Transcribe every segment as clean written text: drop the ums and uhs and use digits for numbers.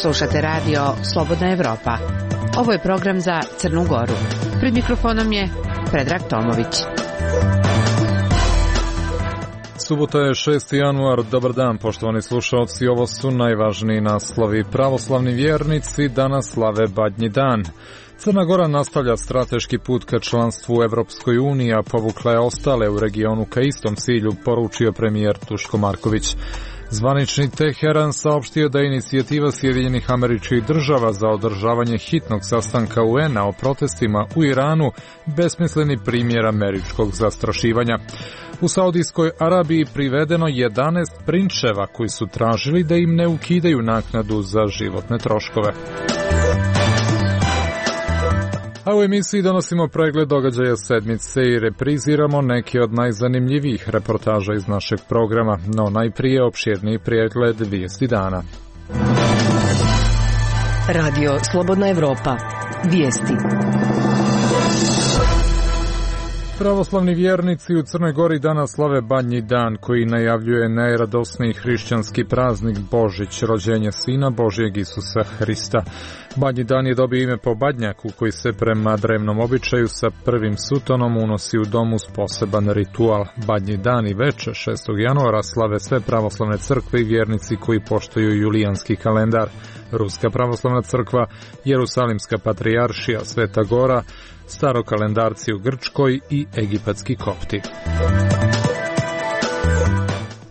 Slušate radio Slobodna Evropa. Ovo je program za Crnu Goru. Pred mikrofonom je Predrag Tomović. Subota je 6. januar. Dobar dan, poštovani slušalci. Ovo su najvažniji naslovi. Pravoslavni vjernici danas slave Badnji dan. Crna Gora nastavlja strateški put ka članstvu u Evropskoj uniji, a povukla je ostale u regionu ka istom cilju, poručio premijer Duško Marković. Zvanični Teheran saopštio da je inicijativa Sjedinjenih Američkih Država za održavanje hitnog sastanka UN-a o protestima u Iranu besmisleni primjer američkog zastrašivanja. U Saudijskoj Arabiji privedeno 11 prinčeva koji su tražili da im ne ukidaju naknadu za životne troškove. A u emisiji donosimo pregled događaja sedmice i repriziramo neke od najzanimljivijih reportaža iz našeg programa, no najprije opširniji pregled vijesti dana. Radio Slobodna Evropa. Vijesti. Pravoslavni vjernici u Crnoj Gori danas slave Badnji dan, koji najavljuje najradosniji hrišćanski praznik Božić, rođenje Sina Božjeg Isusa Hrista. Badnji dan je dobio ime po badnjaku koji se prema drevnom običaju sa prvim sutonom unosi u dom uz poseban ritual. Badnji dan i veče 6. januara slave sve pravoslavne crkve i vjernici koji poštuju julijanski kalendar. Ruska pravoslavna crkva, Jerusalimska patrijaršija, Sveta Gora, starokalendarci u Grčkoj i egipatski kopti.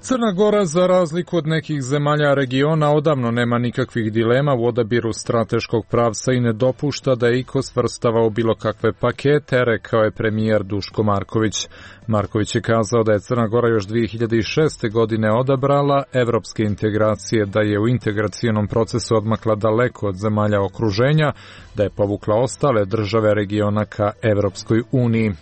Crna Gora, za razliku od nekih zemalja regiona, odavno nema nikakvih dilema u odabiru strateškog pravca i ne dopušta da je iko svrstava u bilo kakve pakete, rekao je premijer Duško Marković. Marković je kazao da je Crna Gora još 2006. godine odabrala evropske integracije, da je u integracionom procesu odmakla daleko od zemalja okruženja, da je povukla ostale države regiona ka Evropskoj uniji.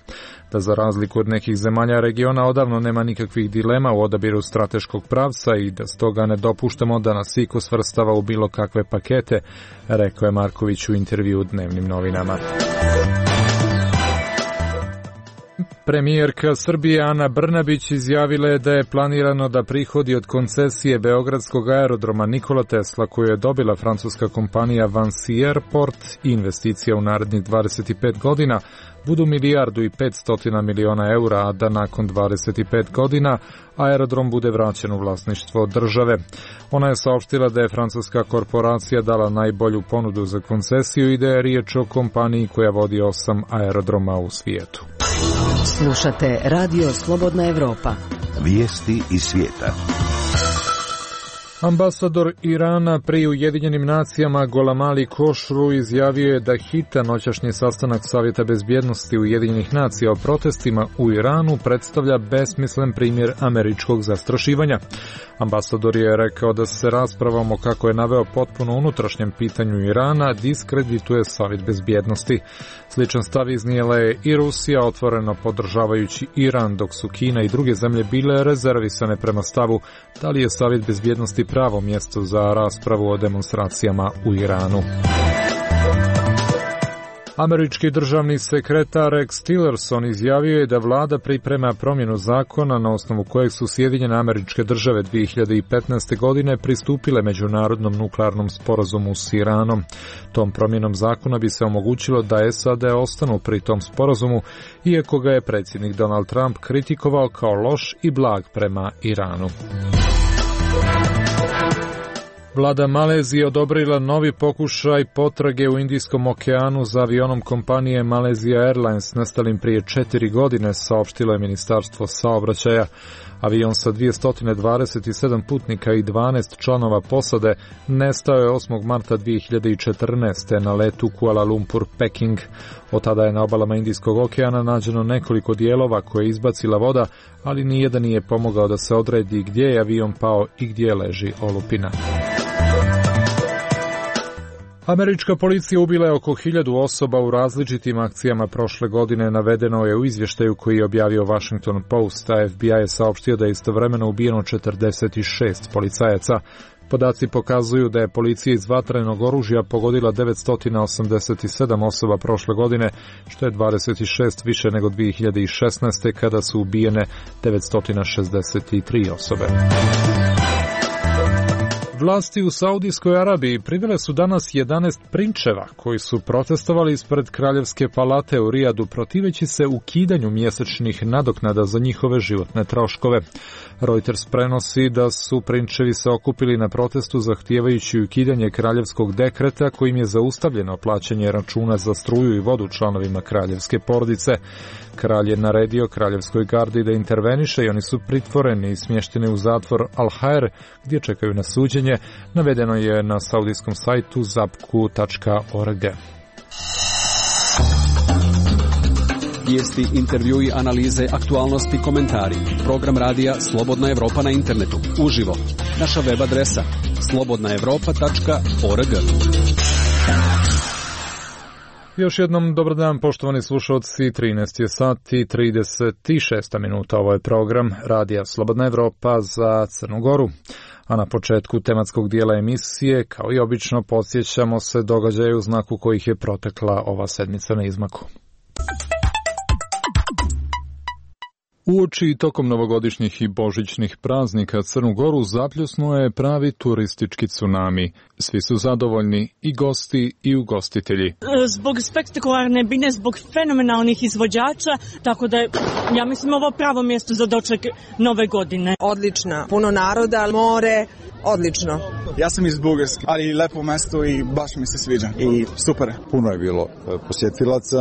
Da za razliku od nekih zemalja regiona odavno nema nikakvih dilema u odabiru strateškog pravca i da stoga ne dopuštamo da nas iko svrstava u bilo kakve pakete, rekao je Marković u intervju u Dnevnim novinama. Premijerka Srbije Ana Brnabić izjavila je da je planirano da prihodi od koncesije Beogradskog aerodroma Nikola Tesla, koju je dobila francuska kompanija Vinci Airport i investicija u narednih 25 godina, budu 1,5 milijardi eura, a da nakon 25 godina aerodrom bude vraćen u vlasništvo države. Ona je saopštila da je francuska korporacija dala najbolju ponudu za koncesiju i da je riječ o kompaniji koja vodi 8 aerodroma u svijetu. Slušate Radio Slobodna Evropa. Vijesti iz svijeta. Ambasador Irana pri Ujedinjenim nacijama Golamali Košru izjavio je da hitan noćašnji sastanak Savjeta bezbjednosti Ujedinjenih nacija o protestima u Iranu predstavlja besmislen primjer američkog zastrašivanja. Ambasador je rekao da se raspravom o, kako je naveo, potpuno unutrašnjem pitanju Irana diskredituje Savjet bezbjednosti. Sličan stav iznijela je i Rusija, otvoreno podržavajući Iran, dok su Kina i druge zemlje bile rezervisane prema stavu da li je Savjet bezbjednosti pravo mjesto za raspravu o demonstracijama u Iranu. Američki državni sekretar Rex Tillerson izjavio je da vlada priprema promjenu zakona na osnovu kojeg su Sjedinjene Američke Države 2015. godine pristupile međunarodnom nuklearnom sporazumu s Iranom. Tom promjenom zakona bi se omogućilo da SAD ostanu pri tom sporazumu, iako ga je predsjednik Donald Trump kritikovao kao loš i blag prema Iranu. Vlada Malezije odobrila novi pokušaj potrage u Indijskom okeanu za avionom kompanije Malaysia Airlines nestalim prije 4 godine, saopštilo je Ministarstvo saobraćaja. Avion sa 227 putnika i 12 članova posade nestao je 8. marta 2014. na letu Kuala Lumpur-Peking. Od tada je na obalama Indijskog okeana nađeno nekoliko dijelova koje je izbacila voda, ali nijedan nije pomogao da se odredi gdje je avion pao i gdje leži olupina. Američka policija ubila je oko 1000 osoba u različitim akcijama prošle godine, navedeno je u izvještaju koji je objavio Washington Post, a FBI je saopštio da je istovremeno ubijeno 46 policajaca. Podaci pokazuju da je policija iz vatrenog oružja pogodila 987 osoba prošle godine, što je 26 više nego 2016. kada su ubijene 963 osobe. Vlasti u Saudijskoj Arabiji privele su danas 11 prinčeva koji su protestovali ispred Kraljevske palate u Rijadu protiveći se ukidanju mjesečnih nadoknada za njihove životne troškove. Reuters prenosi da su prinčevi se okupili na protestu zahtijevajući ukidanje kraljevskog dekreta kojim je zaustavljeno plaćanje računa za struju i vodu članovima kraljevske porodice. Kralj je naredio kraljevskoj gardi da interveniše i oni su pritvoreni i smješteni u zatvor Al-Hair gdje čekaju na suđenje, navedeno je na saudijskom sajtu zapku.org. Vijesti, intervjui, analize, aktualnosti, komentari. Program radija Slobodna Evropa na internetu. Uživo. Naša web adresa slobodnaevropa.org. Još jednom dobar dan, poštovani slušalci, 13 je sati 36 minuta. Ovo je program radija Slobodna Evropa za Crnu Goru. A na početku tematskog dijela emisije, kao i obično, podsjećamo se događaja u znaku kojih je protekla ova sedmica na izmaku. Uoči i tokom novogodišnjih i božićnih praznika Crnu Goru zapljusnuo je pravi turistički tsunami. Svi su zadovoljni, i gosti i ugostitelji. Zbog spektakularne bine, zbog fenomenalnih izvođača, tako da je, ja mislim, ovo pravo mjesto za doček nove godine. Odlična, puno naroda, more, odlično. Ja sam iz Bugarske, ali lepo mjesto i baš mi se sviđa i super. Puno je bilo posjetilaca,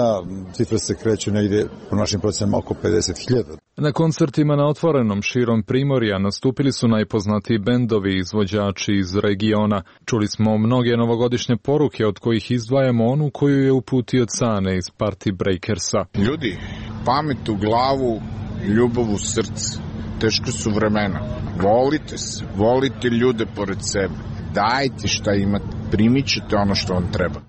cifre se kreću negdje po našim procenama oko 50.000. Na koncertima na otvorenom širom Primorja nastupili su najpoznatiji bendovi i izvođači iz regiona. Čuli smo mnoge novogodišnje poruke, od kojih izdvajamo onu koju je uputio Cane iz Party Breakersa. Ljudi, pamet u glavu, ljubav u srce. Teško su vremena. Volite se, volite ljude pored sebe. Dajte šta imate, primit ćete ono što vam treba.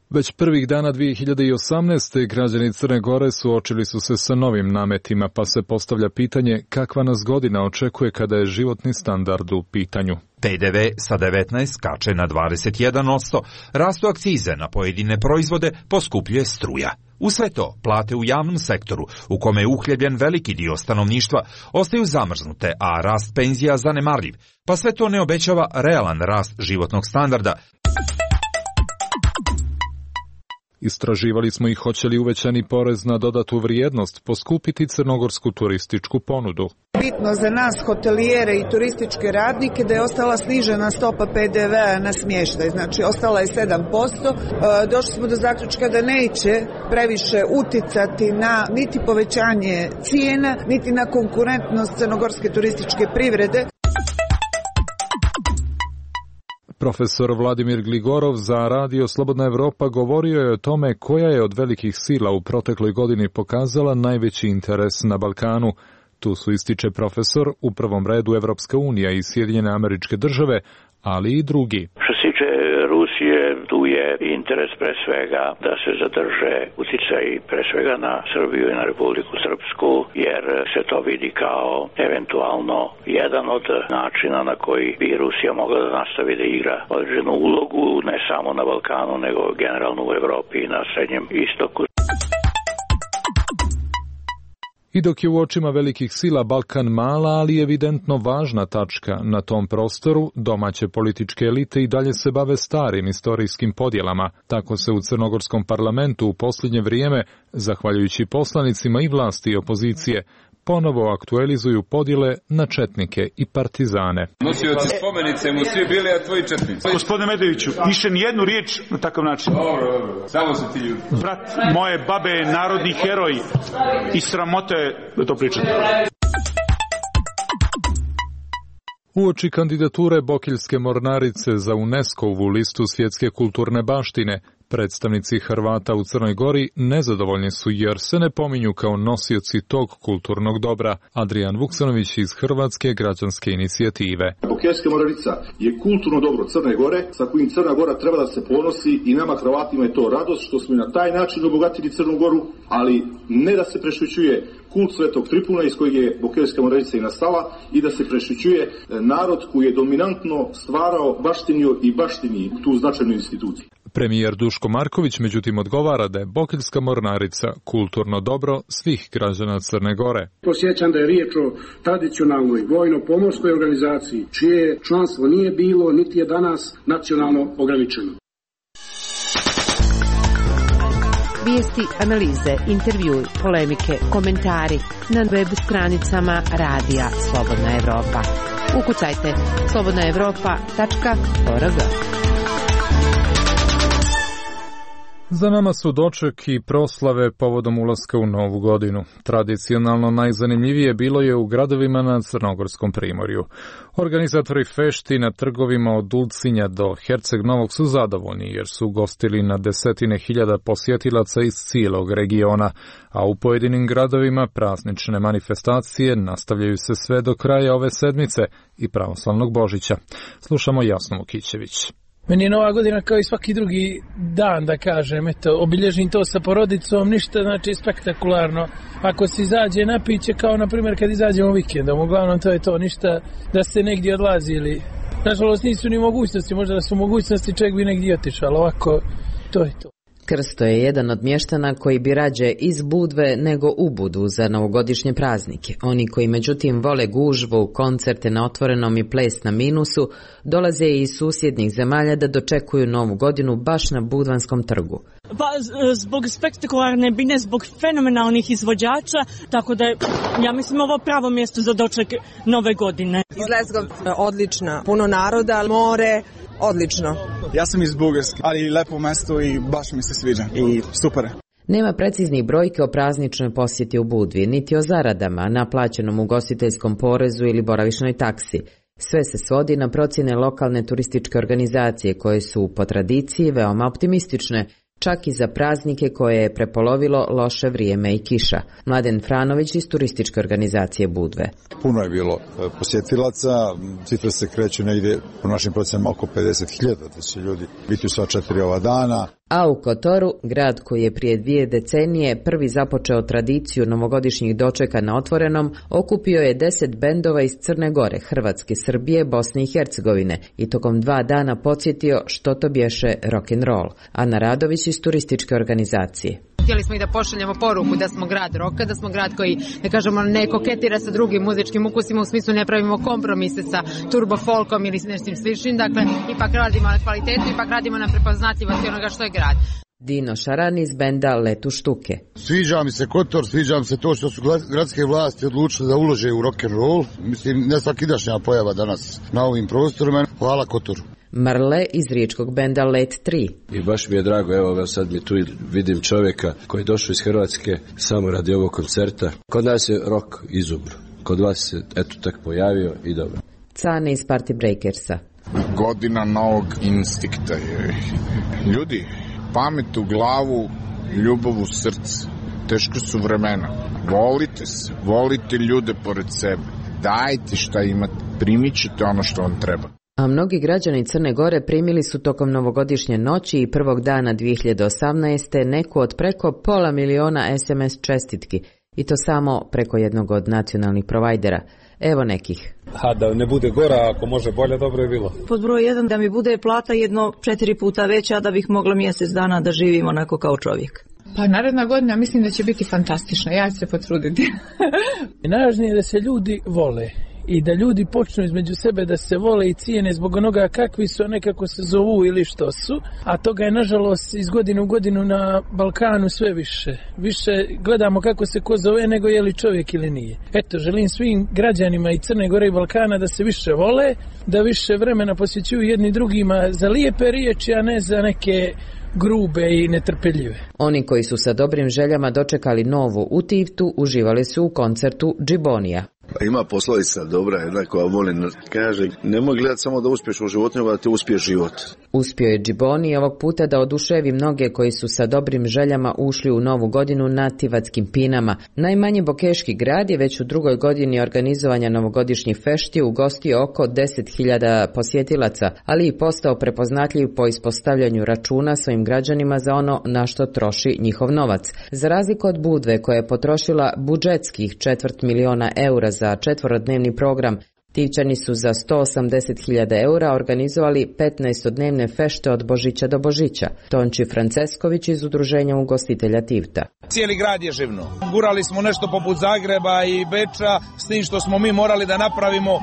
Već prvih dana 2018. građani Crne Gore suočili su se sa novim nametima, pa se postavlja pitanje kakva nas godina očekuje kada je životni standard u pitanju. PDV sa 19 skače na 21%, rastu akcize na pojedine proizvode, poskupljuje struja. U sve to, plate u javnom sektoru, u kome je uhljebljen veliki dio stanovništva, ostaju zamrznute, a rast penzija zanemarljiv, pa sve to ne obećava realan rast životnog standarda. Istraživali smo i hoće li uvećani porez na dodatu vrijednost poskupiti crnogorsku turističku ponudu. Bitno za nas, hotelijere i turističke radnike, da je ostala snižena stopa PDV-a na smještaj. Znači, ostala je 7%. Došli smo do zaključka da neće previše uticati na niti povećanje cijena, niti na konkurentnost crnogorske turističke privrede. Profesor Vladimir Gligorov za Radio Slobodna Evropa govorio je o tome koja je od velikih sila u protekloj godini pokazala najveći interes na Balkanu. Tu su, ističe profesor, u prvom redu Evropska unija i Sjedinjene Američke Države, ali i drugi. Što se tiče Rusije, tu je interes pre svega da se zadrže uticaj pre svega na Srbiju i na Republiku Srpsku, jer se to vidi kao eventualno jedan od načina na koji bi Rusija mogla da nastavi da igra određenu ulogu, ne samo na Balkanu, nego generalno u Evropi i na Srednjem istoku. I dok je u očima velikih sila Balkan mala, ali evidentno važna tačka na tom prostoru, domaće političke elite i dalje se bave starim istorijskim podjelama. Tako se u crnogorskom parlamentu u posljednje vrijeme, zahvaljujući poslanicima i vlasti i opozicije, ponovo aktualizuju podjele na četnike i partizane. Nosioci spomenice mu svi bili, a tvoji četnici. Gospodine Medoviću, više nijednu riječ na takav način. Dobro. Samo su ti ljudi. Brat moje babe je narodni heroj i sramota je da to pričate. Uoči kandidature Bokeljske mornarice za UNESCO-vu listu svjetske kulturne baštine, Predstavnici Hrvata u Crnoj Gori nezadovoljni su jer se ne pominju kao nosioci tog kulturnog dobra. Adrijan Vuksanović iz Hrvatske građanske inicijative. Bokeljska Moravica je kulturno dobro Crne Gore sa kojim Crna Gora treba da se ponosi i nama Hrvatima je to radost što smo na taj način obogatili Crnu Goru, ali ne da se prešućuje kult Svetog Tripuna iz kojeg je Bokeljska Moravica i nastala i da se prešućuje narod koji je dominantno stvarao, baštinio i baštini tu značajnu instituciju. Premijer Duško Marković međutim odgovara da je Bokeljska mornarica kulturno dobro svih građana Crne Gore. Podsjećam da je riječ o tradicionalnoj vojno-pomorskoj organizaciji čije članstvo nije bilo niti je danas nacionalno ograničeno. Vijesti, analize, intervjui, polemike, komentari na web stranicama Radija Slobodna Evropa. Ukucajte slobodnaevropa.org. Za nama su doček i proslave povodom ulaska u novu godinu. Tradicionalno najzanimljivije bilo je u gradovima na Crnogorskom primorju. Organizatori fešti na trgovima od Ulcinja do Herceg Novog su zadovoljni jer su gostili na desetine hiljada posjetilaca iz cijelog regiona, a u pojedinim gradovima praznične manifestacije nastavljaju se sve do kraja ove sedmice i pravoslavnog Božića. Slušamo Jasnu Vukićević. Meni je Nova godina kao i svaki drugi dan, da kažem, eto, obilježim to sa porodicom, ništa znači spektakularno. Ako se izađe na piće, kao na primjer kad izađemo vikendom, uglavnom to je to, ništa da ste negdje odlazili. Nažalost nisu ni mogućnosti, možda da su mogućnosti čovjek bi negdje otišao, ali ovako to je to. Krsto je jedan od mještana koji bi rađe iz Budve nego u Budu za novogodišnje praznike. Oni koji međutim vole gužvu, koncerte na otvorenom i ples na minusu, dolaze iz susjednih zemalja da dočekuju novu godinu baš na Budvanskom trgu. Pa zbog spektakularne bine, zbog fenomenalnih izvođača, tako da je, ja mislim, ovo pravo mjesto za doček nove godine. Iz Lezgov, odlična, puno naroda, more, odlično. Ja sam iz Bugarske, ali lepo mjesto i baš mi se sviđa i super. Nema preciznih brojke o prazničnoj posjeti u Budvi, niti o zaradama, naplaćenom ugostiteljskom porezu ili boravišnoj taksi. Sve se svodi na procjene lokalne turističke organizacije koje su po tradiciji veoma optimistične, čak i za praznike koje je prepolovilo loše vrijeme i kiša. Mladen Franović iz turističke organizacije Budve. Puno je bilo posjetilaca, cifre se kreću negdje po našim procenama oko 50.000, da će ljudi biti u sva 4 ova dana. A u Kotoru, grad koji je prije 2 decenije prvi započeo tradiciju novogodišnjih dočeka na otvorenom, okupio je 10 bendova iz Crne Gore, Hrvatske, Srbije, Bosne i Hercegovine i tokom 2 dana podsjetio što to bješe rock'n'roll. Ana Radović iz turističke organizacije. Htjeli smo i da pošaljemo poruku da smo grad roka, da smo grad koji, da kažemo, ne koketira sa drugim muzičkim ukusima, u smislu ne pravimo kompromise sa turbo folkom ili s nečim sličnim, dakle ipak radimo na kvalitetu, ipak radimo na prepoznatljivosti onoga što je grad. Dino Šaran iz benda Letu štuke. Sviđa mi se Kotor, sviđa mi se to što su gradske vlasti odlučile da ulože u rock'n'roll. Mislim, ne svakidašnja pojava danas na ovim prostorima. Hvala Kotoru. Marle iz riječkog benda Let 3. I baš mi je drago, evo sad mi tu vidim čovjeka koji je došao iz Hrvatske samo radi ovog koncerta. Kod nas je rock izumro, kod vas se eto tak pojavio i dobro. Cane iz Party Breakersa. Godina novog instinkta je. Ljudi, pamet u glavu, ljubav u srce. Teško su vremena. Volite se, volite ljude pored sebe. Dajte šta imate, primit ćete ono što vam treba. A mnogi građani Crne Gore primili su tokom novogodišnje noći i prvog dana 2018. neku od preko 500.000 SMS čestitki, i to samo preko jednog od nacionalnih provajdera. Evo nekih. Da ne bude gora, ako može bolje, dobro je bilo. Pod broj 1 da mi bude plata 4 puta veća, da bih mogla mjesec dana da živim onako kao čovjek. Pa naredna godina mislim da će biti fantastična, ja ću se potruditi. Najvažnije je da se ljudi vole i da ljudi počnu između sebe da se vole i cijene zbog onoga kakvi su, nekako se zovu ili što su, a toga je nažalost iz godine u godinu na Balkanu sve više. Više gledamo kako se ko zove nego je li čovjek ili nije. Eto, želim svim građanima i Crne Gore i Balkana da se više vole, da više vremena posvećuju jedni drugima za lijepe riječi, a ne za neke grube i netrpeljive. Oni koji su sa dobrim željama dočekali novu u Tivtu uživali su u koncertu Džibonija. Ima poslovica dobra jedna koja volim, kaže, nemoj gledati samo da uspješ u životu, nego da ti uspije život. Uspio je Džiboni ovog puta da oduševi mnoge koji su sa dobrim željama ušli u novu godinu na tivatskim pinama. Najmanji bokeški grad je već u drugoj godini organizovanja novogodišnjih fešti ugostio oko 10.000 posjetilaca, ali i postao prepoznatljiv po ispostavljanju računa svojim građanima za ono na što troši njihov novac. Za razliku od Budve koja je potrošila budžetskih 250.000 eura za 4-dnevni program, Tivčani su za 180.000 eura organizovali 15-dnevne fešte od Božića do Božića. Tonči Francesković iz Udruženja ugostitelja Tivta. Cijeli grad je živno. Gurali smo nešto poput Zagreba i Beča, s tim što smo mi morali da napravimo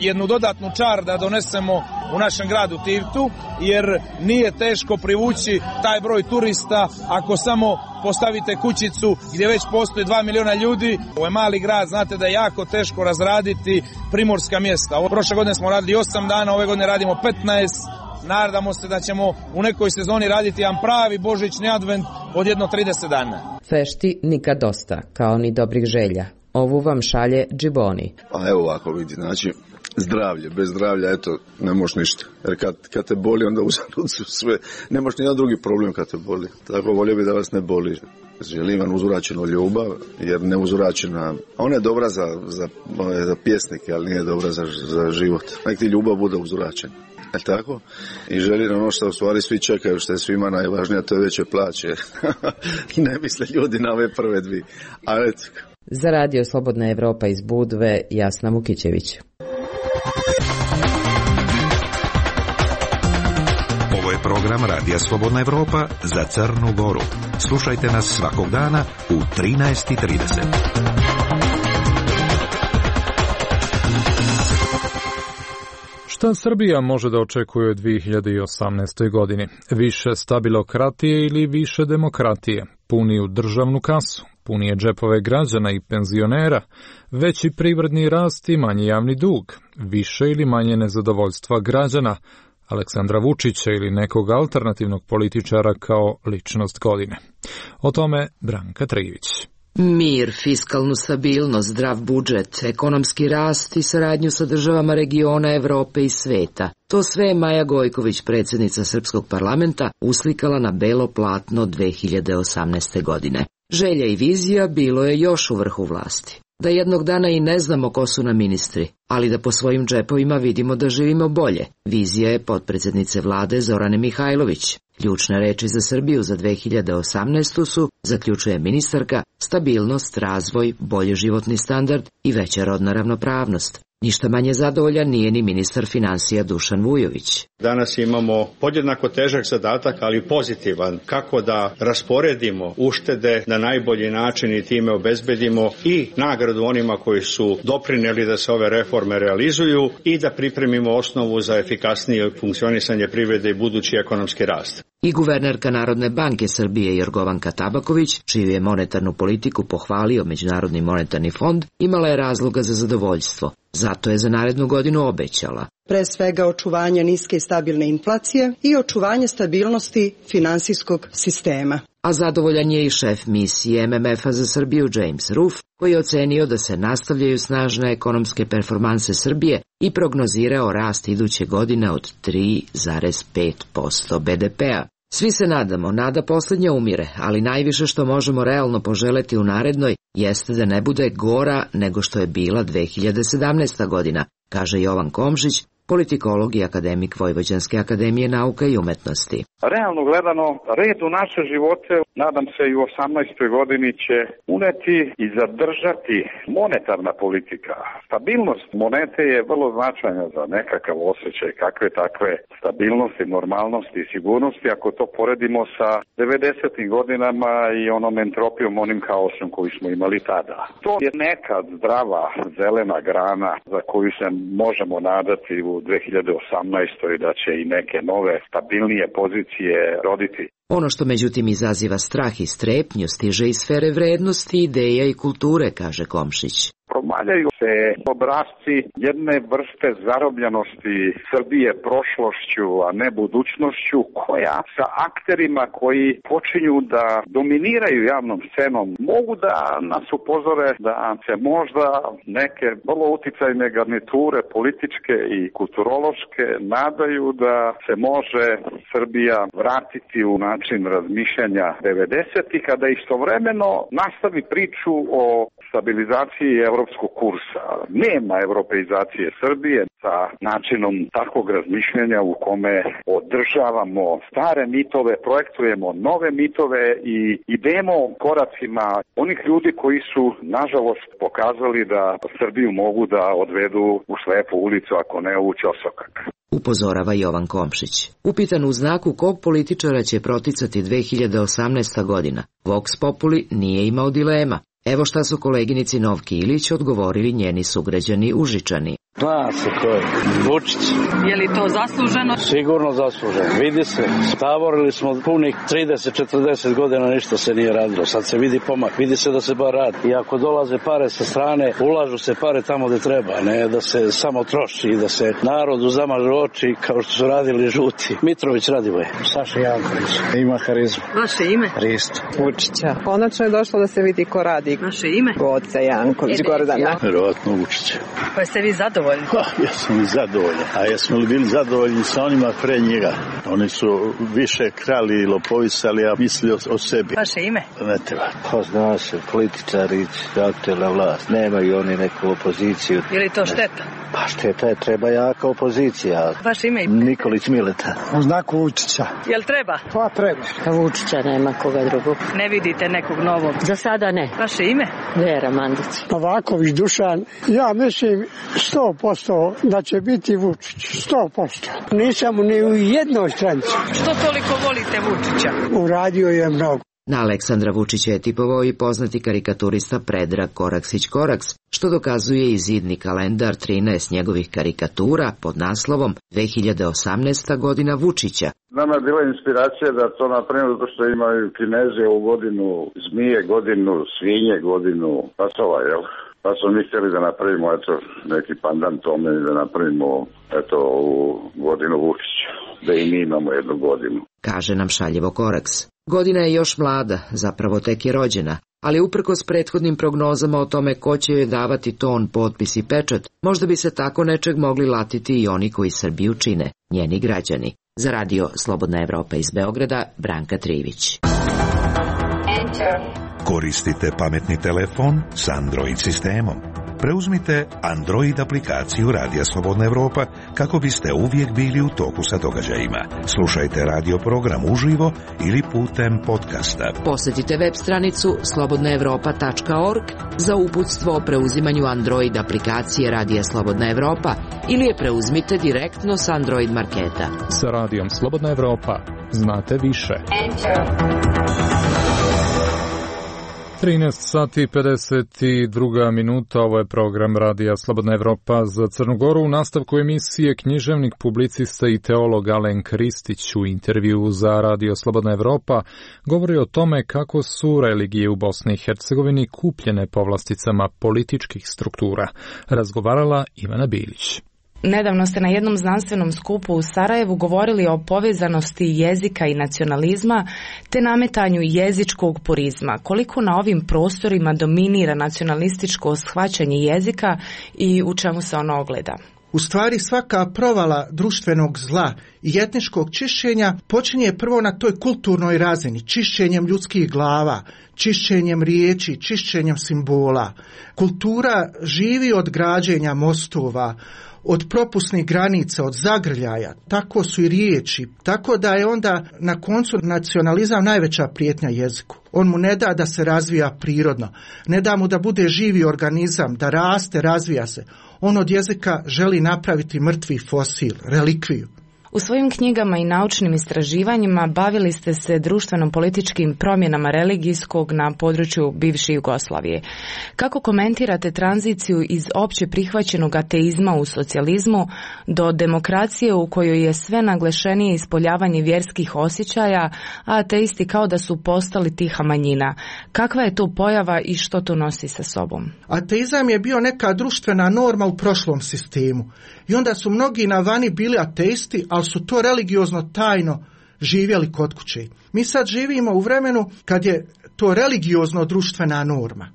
jednu dodatnu čar da donesemo u našem gradu Tivtu, jer nije teško privući taj broj turista ako samo postavite kućicu gdje već postoji 2 miliona ljudi. Ovo je mali grad, znate da je jako teško razraditi primorska mjesta. Prošle godine smo radili 8 dana, ove godine radimo 15. Nadamo se da ćemo u nekoj sezoni raditi jedan pravi božićni advent od jedno 30 dana. Fešti nikad dosta, kao ni dobrih želja. Ovu vam šalje Džiboni. A evo ovako vidi, znači zdravlje, bez zdravlja, eto, ne možeš ništa. Jer kad te boli, onda uzalud su sve. Ne možeš nijedan drugi problem kad te boli. Tako volio bi da vas ne boli. Želim vam uzvraćenu ljubav, jer neuzvraćena, ona je dobra za pjesnike, ali nije dobra za život. Nek ti ljubav bude uzvraćena. Je tako? I želim ono što u stvari svi čekaju, što je svima najvažnije, to je veće plaće. I ne misle ljudi na ove prve dvije. Ali eto. Za Radio Slobodna Evropa iz Budve, Jasna Vukićević. Ovo je program Radija Slobodna Evropa za Crnu Goru. Slušajte nas svakog dana u 13:30. Šta Srbija može da očekuje u 2018. godini? Više stabilokratije ili više demokratije? Puniju državnu kasu, punije džepove građana i penzionera, veći privredni rast i manji javni dug, više ili manje nezadovoljstva građana, Aleksandra Vučića ili nekog alternativnog političara kao ličnost godine. O tome Branka Trivić. Mir, fiskalnu stabilnost, zdrav budžet, ekonomski rast i saradnju sa državama regiona Evrope i sveta. To sve je Maja Gojković, predsjednica Srpskog parlamenta, uslikala na belo platno 2018. godine. Želja i vizija bilo je još u vrhu vlasti. Da jednog dana i ne znamo ko su nam ministri, ali da po svojim džepovima vidimo da živimo bolje. Vizija je potpredsjednice vlade Zorane Mihajlović. Ključne reči za Srbiju za 2018. su, zaključuje ministarka, stabilnost, razvoj, bolji životni standard i veća rodna ravnopravnost. Ništa manje zadovoljan nije ni ministar finansija Dušan Vujović. Danas imamo podjednako težak zadatak, ali pozitivan, kako da rasporedimo uštede na najbolji način i time obezbedimo i nagradu onima koji su doprinijeli da se ove reforme realizuju i da pripremimo osnovu za efikasnije funkcionisanje privrede i budući ekonomski rast. I guvernerka Narodne banke Srbije Jorgovanka Tabaković, čiju je monetarnu politiku pohvalio Međunarodni monetarni fond, imala je razloga za zadovoljstvo. Zato je za narednu godinu obećala. Pre svega očuvanje niske i stabilne inflacije i očuvanje stabilnosti finansijskog sistema. A zadovoljan je i šef misije MMF-a za Srbiju James Roof, koji je ocenio da se nastavljaju snažne ekonomske performanse Srbije i prognozirao rast iduće godine od 3,5% BDP-a. Svi se nadamo, nada posljednja umire, ali najviše što možemo realno poželeti u narednoj jeste da ne bude gora nego što je bila 2017. godina, kaže Jovan Komšić, politikolog i akademik Vojvođanske akademije nauka i umetnosti. Realno gledano, red u naše živote, nadam se i u 18. godini će uneti i zadržati monetarna politika. Stabilnost monete je vrlo značajna za nekakav osjećaj kakve takve stabilnosti, normalnosti i sigurnosti, ako to poredimo sa 90. godinama i onom entropijom, onim haosom koji smo imali tada. To je neka zdrava zelena grana za koju se možemo nadati u 2018. da će i neke nove stabilnije pozicije roditi. Ono što međutim izaziva strah i strepnju stiže iz sfere vrednosti, ideja i kulture, kaže Komšić. Valjaju se obrasci jedne vrste zarobljenosti Srbije prošlošću, a ne budućnošću, koja sa akterima koji počinju da dominiraju javnom scenom mogu da nas upozore da se možda neke vrlo uticajne garniture političke i kulturološke nadaju da se može Srbija vratiti u način razmišljanja 90-ih, kada istovremeno nastavi priču o stabilizaciji evropskog kursa. Nema europeizacije Srbije sa načinom takvog razmišljanja u kome održavamo stare mitove, projektujemo nove mitove i idemo koracima onih ljudi koji su, nažalost, pokazali da Srbiju mogu da odvedu u slepu ulicu, ako ne u ćosokak. Upozorava Jovan Komšić. Upitan u znaku kog političara će proticati 2018. godina, Vox Populi nije imao dilema. Evo šta su koleginici Novki Ilić odgovorili njeni sugrađani Užičani. Zna se ko je. Vučić. Je li to zasluženo? Sigurno zasluženo. Vidi se. Tavorili smo punih 30-40 godina, ništa se nije radilo. Sad se vidi pomak. Vidi se da se bar radi. I ako dolaze pare sa strane, ulažu se pare tamo gde treba. Ne da se samo troši i da se narodu zamažu oči kao što su radili žuti. Mitrović Radivoje. Saša Janković. Ima harizmu. Vaše ime? Risto. Vučića. Konačno je došlo da se vidi ko radi. Vaše ime? Goca Janković. Gordana. Verovatno Vučića. Pa ste vi zadovoljni? Ja sam zadovoljan. A jesmo li bili zadovoljni sa onima pre njega? Oni su više krali i lopovisali, a mislili o sebi. Vaše ime? Ne treba. Pa zna se, političari, aktuelna vlast. Nemaju oni neku opoziciju. Je li to šteta? Pa šteta je, treba jaka opozicija. Vaše ime? Nikolić Mileta. U znaku Vučića. Jel treba? Pa treba. Vučića nema koga drugog. Ne vidite nekog novog? Za sada ne. Vaše ime? Vera Mandić. Novaković Dušan. Ja mislim 100% da će biti Vučić. 100%. Nisam ni u jednoj stranci. Što toliko volite Vučića? Uradio je mnogo. Na Aleksandra Vučića je tipovao i poznati karikaturista Predrag Koraksić-Koraks, što dokazuje i zidni kalendar 13 njegovih karikatura pod naslovom 2018. godina Vučića. Nama je bila inspiracija da to napravimo zato što imaju Kinezi ovu godinu zmije, godinu svinje, godinu pasova, jel? Pa smo mi htjeli da napravimo neki pandan tome i da napravimo ovu godinu Vučića, da i mi imamo jednu godinu. Kaže nam šaljevo Koraks. Godina je još mlada, zapravo tek je rođena, ali uprkos prethodnim prognozama o tome ko će joj davati ton, potpis i pečat, možda bi se tako nečeg mogli latiti i oni koji Srbiju čine, njeni građani. Za radio Slobodna Evropa iz Beograda, Branka Trivić. Koristite pametni telefon s Android sistemom. Preuzmite Android aplikaciju Radija Slobodna Evropa kako biste uvijek bili u toku sa događajima. Slušajte radio program uživo ili putem podcasta. Posjetite web stranicu slobodnaevropa.org za uputstvo o preuzimanju Android aplikacije Radija Slobodna Evropa ili je preuzmite direktno s Android marketa. Sa Radijom Slobodna Evropa znate više. 13 sati 52 minuta, ovo je program Radija Slobodna Evropa za Crnu Goru. U nastavku emisije književnik, publicista i teolog Alen Kristić u intervju za Radio Slobodna Evropa govori o tome kako su religije u Bosni i Hercegovini kupljene povlasticama političkih struktura. Razgovarala Ivana Bilić. Nedavno ste na jednom znanstvenom skupu u Sarajevu govorili o povezanosti jezika i nacionalizma te nametanju jezičkog purizma. Koliko na ovim prostorima dominira nacionalističko shvaćanje jezika i u čemu se ono ogleda? U stvari svaka provala društvenog zla i etničkog čišćenja počinje prvo na toj kulturnoj razini, čišćenjem ljudskih glava, čišćenjem riječi, čišćenjem simbola. Kultura živi od građenja mostova, od propusnih granica, od zagrljaja, tako su i riječi, tako da je onda na koncu nacionalizam najveća prijetnja jeziku. On mu ne da da se razvija prirodno, ne da mu da bude živi organizam, da raste, razvija se. On od jezika želi napraviti mrtvi fosil, relikviju. U svojim knjigama i naučnim istraživanjima bavili ste se društveno-političkim promjenama religijskog na području bivše Jugoslavije. Kako komentirate tranziciju iz opće prihvaćenog ateizma u socijalizmu do demokracije u kojoj je sve naglašenije ispoljavanje vjerskih osjećaja, a ateisti kao da su postali tiha manjina? Kakva je to pojava i što to nosi sa sobom? Ateizam je bio neka društvena norma u prošlom sistemu. I onda su mnogi na vani bili ateisti, ali su to religiozno tajno živjeli kod kuće. Mi sad živimo u vremenu kad je to religiozno društvena norma.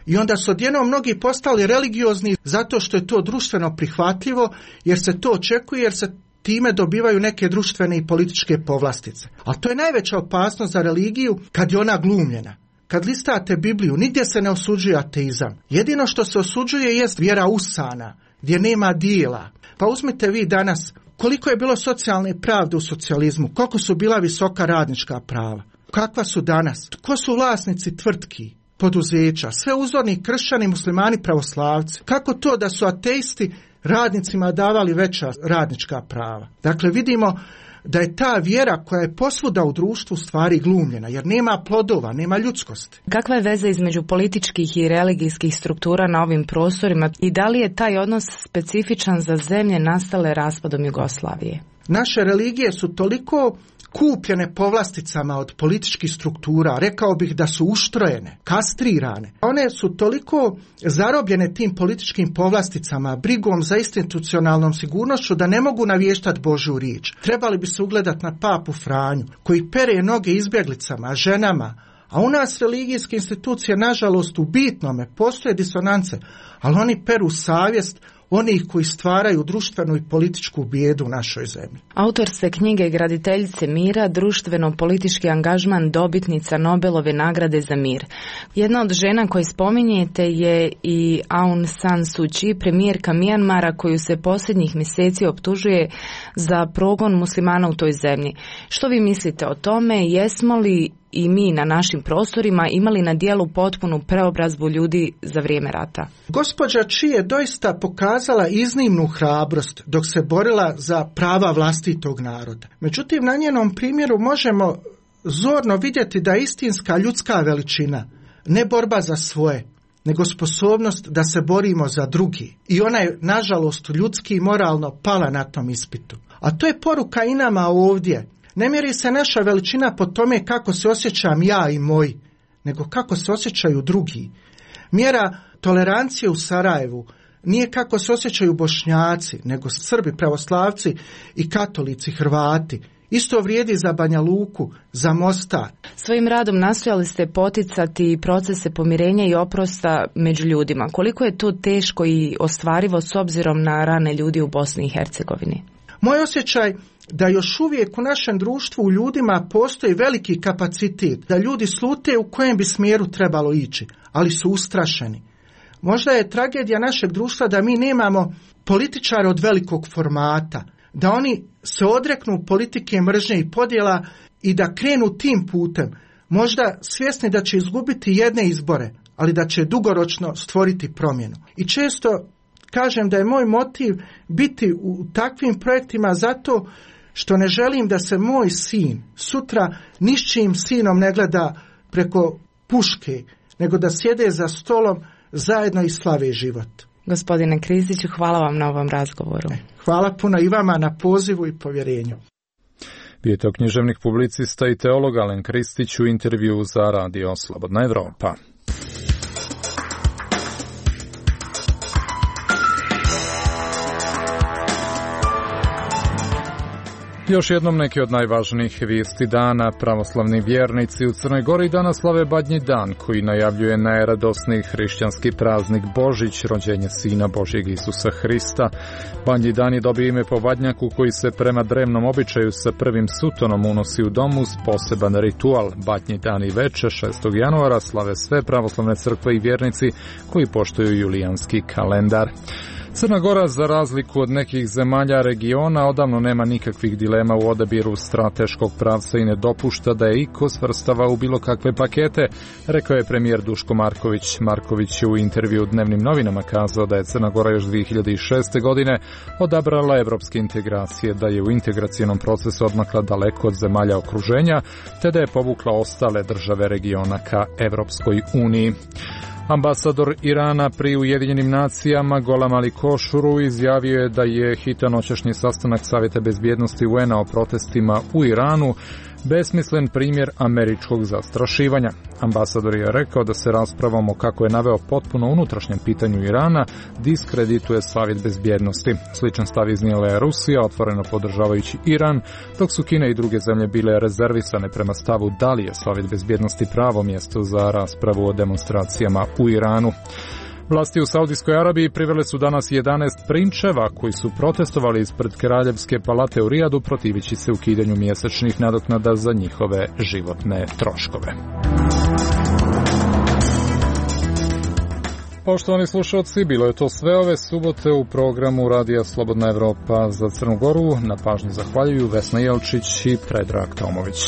I onda su odjednom mnogi postali religiozni zato što je to društveno prihvatljivo, jer se to očekuje, jer se time dobivaju neke društvene i političke povlastice. Ali to je najveća opasnost za religiju kad je ona glumljena. Kad listate Bibliju, nigdje se ne osuđuje ateizam. Jedino što se osuđuje jest vjera usana, gdje nema dijela. Pa uzmite vi danas koliko je bilo socijalne pravde u socijalizmu, koliko su bila visoka radnička prava, kakva su danas, ko su vlasnici tvrtki, poduzeća, sve uzorni kršćani, muslimani, pravoslavci. Kako to da su ateisti radnicima davali veća radnička prava? Dakle, vidimo da je ta vjera koja je posvuda u društvu stvari glumljena, jer nema plodova, nema ljudskosti. Kakva je veza između političkih i religijskih struktura na ovim prostorima i da li je taj odnos specifičan za zemlje nastale raspadom Jugoslavije? Naše religije su toliko kupljene povlasticama od političkih struktura, rekao bih da su uštrojene, kastrirane. One su toliko zarobljene tim političkim povlasticama, brigom za institucionalnom sigurnošću, da ne mogu navještati Božju riječ. Trebali bi se ugledati na papu Franju, koji pere noge izbjeglicama, ženama, a u nas religijske institucije, nažalost, u bitnome postoje disonance, ali oni peru savjest onih koji stvaraju društvenu i političku bijedu u našoj zemlji. Autor ste knjige Graditeljice mira, društveno-politički angažman dobitnica Nobelove nagrade za mir. Jedna od žena koje spominjete je i Aung San Suu Kyi, premijerka Mijanmara, koju se posljednjih mjeseci optužuje za progon muslimana u toj zemlji. Što vi mislite o tome? Jesmo li i mi na našim prostorima imali na dijelu potpunu preobrazbu ljudi za vrijeme rata? Gospođa Kyi je doista pokazala iznimnu hrabrost dok se borila za prava vlastitog naroda. Međutim, na njenom primjeru možemo zorno vidjeti da je istinska ljudska veličina ne borba za svoje, nego sposobnost da se borimo za drugi. I ona je, nažalost, ljudski i moralno pala na tom ispitu. A to je poruka i nama ovdje. Ne mjeri se naša veličina po tome kako se osjećam ja i moj, nego kako se osjećaju drugi. Mjera tolerancije u Sarajevu nije kako se osjećaju Bošnjaci, nego Srbi, pravoslavci i katolici, Hrvati. Isto vrijedi za Banja Luku, za Mostar. Svojim radom nastojali ste poticati procese pomirenja i oprosta među ljudima. Koliko je to teško i ostvarivo s obzirom na rane ljudi u Bosni i Hercegovini? Moj osjećaj da još uvijek u našem društvu u ljudima postoji veliki kapacitet, da ljudi slute u kojem bi smjeru trebalo ići, ali su ustrašeni. Možda je tragedija našeg društva da mi nemamo političare od velikog formata, da oni se odreknu politike mržnje i podjela i da krenu tim putem, možda svjesni da će izgubiti jedne izbore, ali da će dugoročno stvoriti promjenu. I često kažem da je moj motiv biti u takvim projektima zato što ne želim da se moj sin sutra ničijim sinom ne gleda preko puške, nego da sjede za stolom zajedno i slave život. Gospodine Kristiću, hvala vam na ovom razgovoru. Hvala puno i vama na pozivu i povjerenju. Bio je to književnik, publicista i teolog Alen Kristić u intervju za Radio Slobodna Evropa. Još jednom neki od najvažnijih vijesti dana. Pravoslavni vjernici u Crnoj Gori danas slave Badnji dan, koji najavljuje najradosniji hrišćanski praznik Božić, rođenje Sina Božjeg Isusa Hrista. Badnji dan je dobio ime po badnjaku koji se prema drevnom običaju sa prvim sutonom unosi u domu uz poseban ritual. Badnji dan i veče 6. januara slave sve pravoslavne crkve i vjernici koji poštuju julijanski kalendar. Crna Gora, za razliku od nekih zemalja regiona, odavno nema nikakvih dilema u odabiru strateškog pravca i ne dopušta da je iko svrstava u bilo kakve pakete, rekao je premijer Duško Marković. Marković je u intervju u Dnevnim novinama kazao da je Crna Gora još 2006. godine odabrala evropske integracije, da je u integracionom procesu odmakla daleko od zemalja okruženja, te da je povukla ostale države regiona ka Evropskoj uniji. Ambasador Irana pri Ujedinjenim nacijama Golam Ali Košuru izjavio je da je hitan noćašnji sastanak Savjeta bezbjednosti UN-a o protestima u Iranu besmislen primjer američkog zastrašivanja. Ambasador je rekao da se raspravom o, kako je naveo, potpuno unutrašnjem pitanju Irana diskredituje Savjet bezbjednosti. Sličan stav iznijela je Rusija, otvoreno podržavajući Iran, dok su Kina i druge zemlje bile rezervisane prema stavu da li je Savjet bezbjednosti pravo mjesto za raspravu o demonstracijama u Iranu. Vlasti u Saudijskoj Arabiji privele su danas 11 prinčeva koji su protestovali ispred Kraljevske palate u Rijadu protivići se ukidanju mjesečnih nadoknada za njihove životne troškove. Poštovani slušalci, bilo je to sve ove subote u programu Radija Slobodna Evropa za Crnu Goru. Na pažnji zahvaljuju Vesna Jelčić i Predrag Tomović.